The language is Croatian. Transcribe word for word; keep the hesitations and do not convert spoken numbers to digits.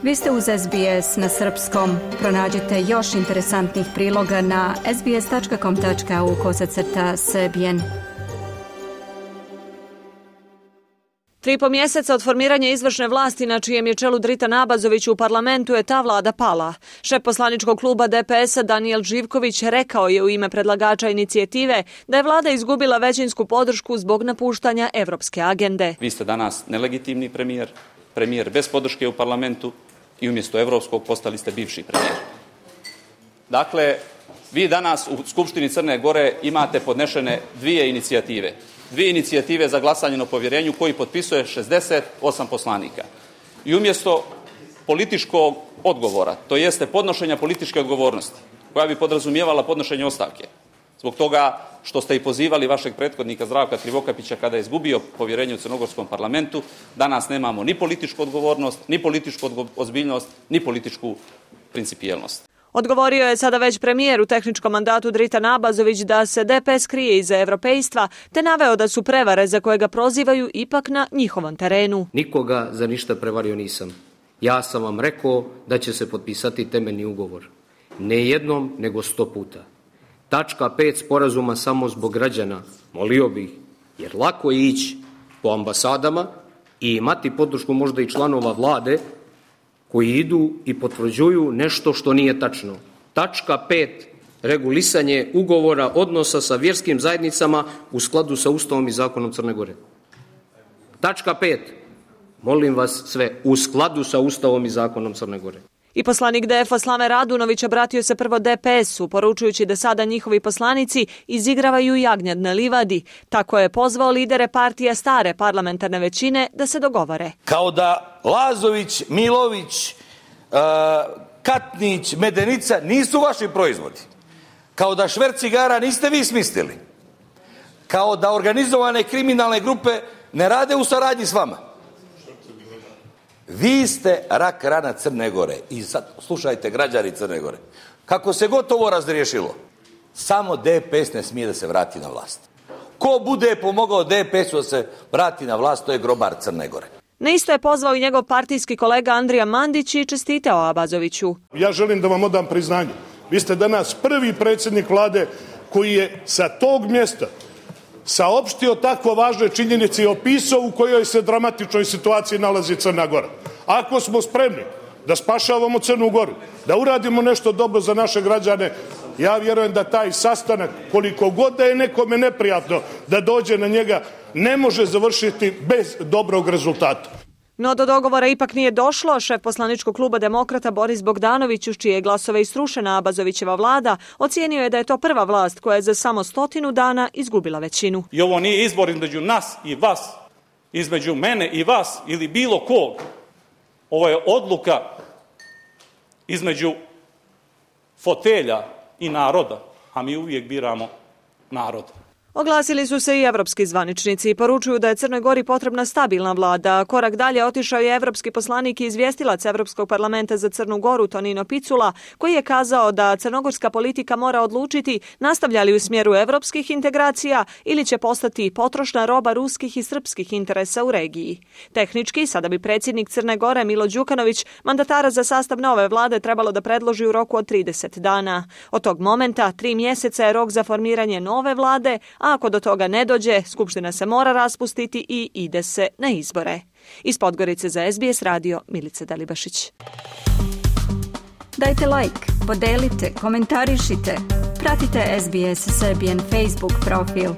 Vi ste uz S B S na srpskom. Pronađite još interesantnih priloga na sbs.com.au kosacrta srbijen. Tri i po mjeseca od formiranja izvršne vlasti na čijem je čelu Dritan Abazović u parlamentu je ta vlada pala. Šef poslaničkog kluba D P S-a Danijel Živković rekao je u ime predlagača inicijative da je vlada izgubila većinsku podršku zbog napuštanja evropske agende. Vi ste danas nelegitimni premijer, premijer bez podrške u parlamentu i umjesto evropskog postali ste bivši premijer. Dakle, vi danas u Skupštini Crne Gore imate podnešene dvije inicijative. Dvije inicijative za glasanje na povjerenju koji potpisuje šezdeset osam poslanika. I umjesto političkog odgovora, to jeste podnošenja političke odgovornosti, koja bi podrazumijevala podnošenje ostavke, zbog toga što ste i pozivali vašeg prethodnika Zdravka Krivokapića kada je izgubio povjerenje u crnogorskom parlamentu, danas nemamo ni političku odgovornost, ni političku ozbiljnost, ni političku principijelnost. Odgovorio je sada već premijer u tehničkom mandatu Dritan Abazović da se D P S krije iza evropejstva, te naveo da su prevare za koje ga prozivaju ipak na njihovom terenu. Nikoga za ništa prevario nisam. Ja sam vam rekao da će se potpisati temeljni ugovor. Ne jednom, nego sto puta. Tačka pet sporazuma samo zbog građana, molio bih, jer lako je ići po ambasadama i imati podršku možda i članova vlade koji idu i potvrđuju nešto što nije tačno. Tačka pet. Regulisanje ugovora odnosa sa vjerskim zajednicama u skladu sa Ustavom i zakonom Crne Gore. Tačka pet. Molim vas sve, u skladu sa Ustavom i zakonom Crne Gore. I poslanik D F-a Slave Radunović obratio se prvo D P S-u, poručujući da sada njihovi poslanici izigravaju jagnjad na livadi. Tako je pozvao lidere partija stare parlamentarne većine da se dogovore. Kao da Lazović, Milović, uh, Katnić, Medenica nisu vaši proizvodi. Kao da šverc cigara niste vi smislili. Kao da organizovane kriminalne grupe ne rade u saradnji s vama. Vi ste rak rana Crne Gore i sad slušajte građani Crne Gore. Kako se gotovo razriješilo, samo D P S ne smije da se vrati na vlast. Ko bude pomogao D P S-u da se vrati na vlast, to je grobar Crne Gore. Na isto je pozvao i njegov partijski kolega Andrija Mandić i čestitao Abazoviću. Ja želim da vam odam priznanje. Vi ste danas prvi predsjednik vlade koji je sa tog mjesta saopštio tako važne činjenice i opisao u kojoj se dramatičnoj situaciji nalazi Crna Gora. Ako smo spremni da spašavamo Crnu Goru, da uradimo nešto dobro za naše građane, ja vjerujem da taj sastanak, koliko god da je nekome neprijatno da dođe na njega, ne može završiti bez dobrog rezultata. No do dogovora ipak nije došlo. Šef poslaničkog kluba Demokrata Boris Bogdanović, uz čije glasove isrušena Abazovićeva vlada, ocijenio je da je to prva vlast koja je za samo stotinu dana izgubila većinu. I ovo nije izbor između nas i vas, između mene i vas ili bilo kog. Ovo je odluka između fotelja i naroda, a mi uvijek biramo narod. Oglasili su se i evropski zvaničnici i poručuju da je Crnoj Gori potrebna stabilna vlada. Korak dalje otišao je evropski poslanik i izvjestilac Evropskog parlamenta za Crnu Goru Tonino Picula, koji je kazao da crnogorska politika mora odlučiti nastavlja li u smjeru evropskih integracija ili će postati potrošna roba ruskih i srpskih interesa u regiji. Tehnički, sada bi predsjednik Crne Gore Milo Đukanović mandatara za sastav nove vlade trebalo da predloži u roku od trideset dana. Od tog momenta tri mjeseca je rok za formiranje nove vlade, a ako do toga ne dođe, Skupština se mora raspustiti i ide se na izbore. Iz Podgorice za S B S radio, Milica Dalibašić. Dajte like, podelite, komentarišite. Pratite S B S Serbian Facebook profil.